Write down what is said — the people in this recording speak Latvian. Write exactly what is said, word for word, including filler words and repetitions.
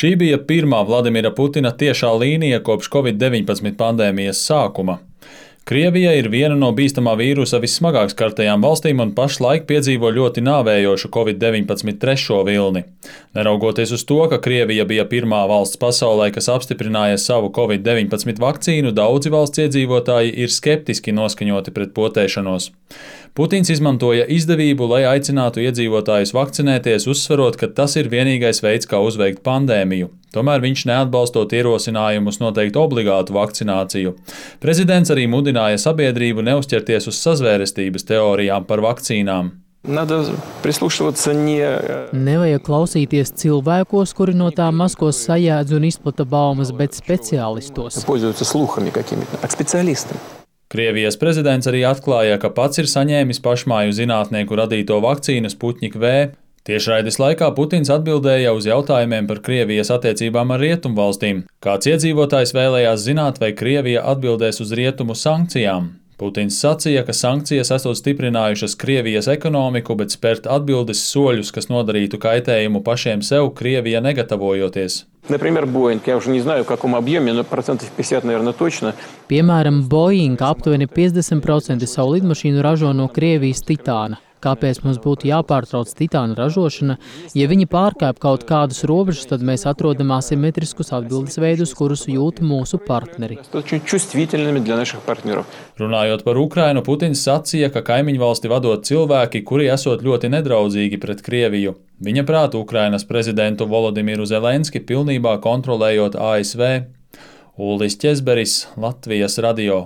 Šī bija pirmā Vladimira Putina tiešā līnija kopš covid deviņpadsmit pandēmijas sākuma. Krievija ir viena no bīstamā vīrusa vissmagāk skartajām valstīm un pašlaik piedzīvo ļoti nāvējošu covid deviņpadsmit trešo vilni. Neraugoties uz to, ka Krievija bija pirmā valsts pasaulē, kas apstiprināja savu covid deviņpadsmit vakcīnu, daudzi valsts iedzīvotāji ir skeptiski noskaņoti pret potēšanos. Putins izmantoja izdevību, lai aicinātu iedzīvotājus vakcinēties, uzsverot, ka tas ir vienīgais veids, kā uzveikt pandēmiju. Tomēr viņš neatbalstot ierosinājumus noteikt obligātu vakcināciju. Prezidents arī mudināja sabiedrību neuzķerties uz sazvērestības teorijām par vakcīnām. Nevajag klausīties cilvēkos, kuri no tā maskos sajēdz un izplata baumas, bet speciālistos. Krievijas prezidents arī atklāja, ka pats ir saņēmis pašmāju zinātnieku radīto vakcīnu Sputnik V. Tiešraides laikā Putins atbildēja uz jautājumiem par Krievijas attiecībām ar rietumvalstīm. Kāds iedzīvotājs vēlējās zināt, vai Krievija atbildēs uz rietumu sankcijām. Putins sacīja, ka sankcijas esot stiprinājušas Krievijas ekonomiku, bet spērt atbildes soļus, kas nodarītu kaitējumu pašiem sev, Krievija negatavojoties. Piemēram, Boeing aptuveni piecdesmit procenti savu lidmašīnu ražo no Krievijas titāna. Kāpēc mums būtu jāpārtrauc titāna ražošana? Ja viņi pārkāp kaut kādus robežus, tad mēs atrodam asimetriskus atbildes veidus, kurus jūt mūsu partneri. Runājot par Ukrainu, Putins sacīja, ka kaimiņvalsti vadot cilvēki, kuri esot ļoti nedraudzīgi pret Krieviju. Viņa prāt Ukrainas prezidentu Volodimiru Zelenski pilnībā kontrolējot A S V. Ulris Ķezberis, Latvijas radio.